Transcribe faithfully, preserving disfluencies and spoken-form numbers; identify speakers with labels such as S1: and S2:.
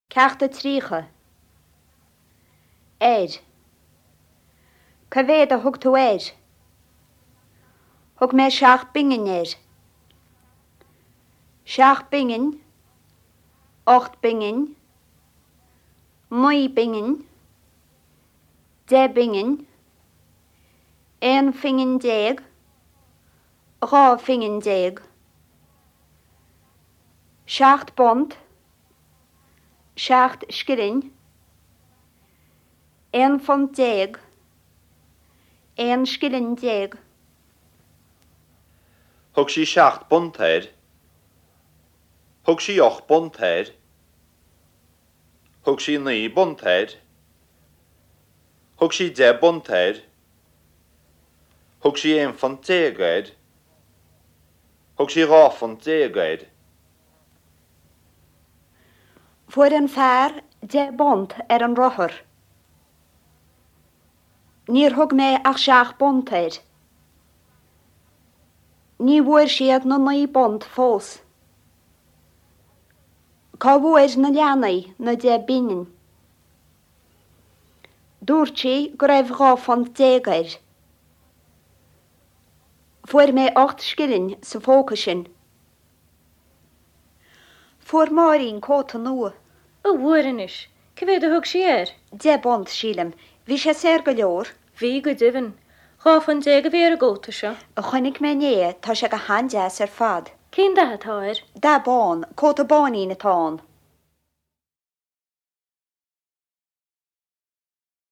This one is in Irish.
S1: Ceacht a tríocha. Air. Cá mhéad a thug tú air? Thug mé seacht bpingin air. Seacht bpingin, ocht bpingin, naoi bpingin, deich bpingin, aon phingin déag, dhá phingin déag. Seacht bpunt, seacht scilling, aon phunt déag, aon scilling déag.
S2: Thug sí seacht bpunt air. Thug sí ocht bpunt air. Thug sí naoi bpunt air. Thug sí deich bpunt air. Thug sí aon phunt déag air. Thug sí dhá phunt déag air.
S1: Fuair an fear deich bpunt ar an rothar. Níor thug mé ach seacht bpunt air. Ní bhfuair siad na naoi bpunt fós. Cá bhfuair na leanaí na deich bpingin. Dúirt sí go raibh dhá phunt déag air. Fuair mé ocht scilling sa phóca sin. Fuair Máirín cóta nua.
S3: An bhfuair anois, Cá mhéad a thug sí air?
S1: Deich bpunt sílim, bhí sé saor go leor.
S3: Bhí go deimhin. Dhá phunt déag a bhí ar an gcóta seo.
S1: A chonaic mé inné, tá sé go han-deas ar fad.
S3: Cén dath atá air?
S1: Dath bán, cóta báinín atá ann.